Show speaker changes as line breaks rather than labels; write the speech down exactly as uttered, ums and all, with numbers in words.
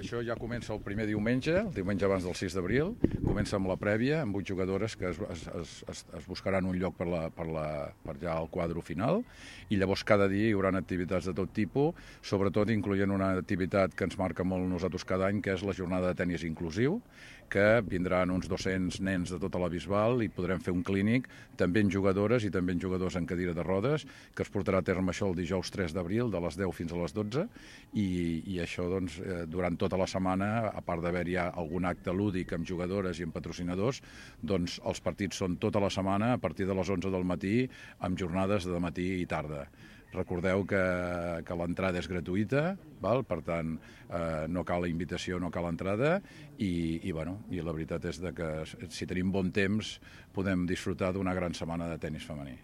Això ja comença el primer diumenge, el diumenge abans del sis d'abril, comença amb la prèvia, amb vuit jugadores que es, es, es, es buscaran un lloc per, la, per, la, per ja al quadre final, i llavors cada dia hi haurà activitats de tot tipus, sobretot incloent una activitat que ens marca molt nosaltres cada any, que és la jornada de tenis inclusiu, que vindran uns dos-cents nens de tota la Bisbal i podrem fer un clínic també en jugadores i també en jugadors en cadira de rodes, que es portarà a terme això el dijous tres d'abril, de les deu fins a les dotze, i, i això doncs, durant tota la setmana, a part d'haver-hi algun acte lúdic amb jugadores i amb patrocinadors, doncs els partits són tota la setmana a partir de les onze del matí, amb jornades de matí i tarda. Recordeu que, que l'entrada és gratuïta, val? Per tant, eh, no cal la invitació, no cal entrada, i, i, bueno, i la veritat és de que si tenim bon temps podem disfrutar d'una gran setmana de tenis femení.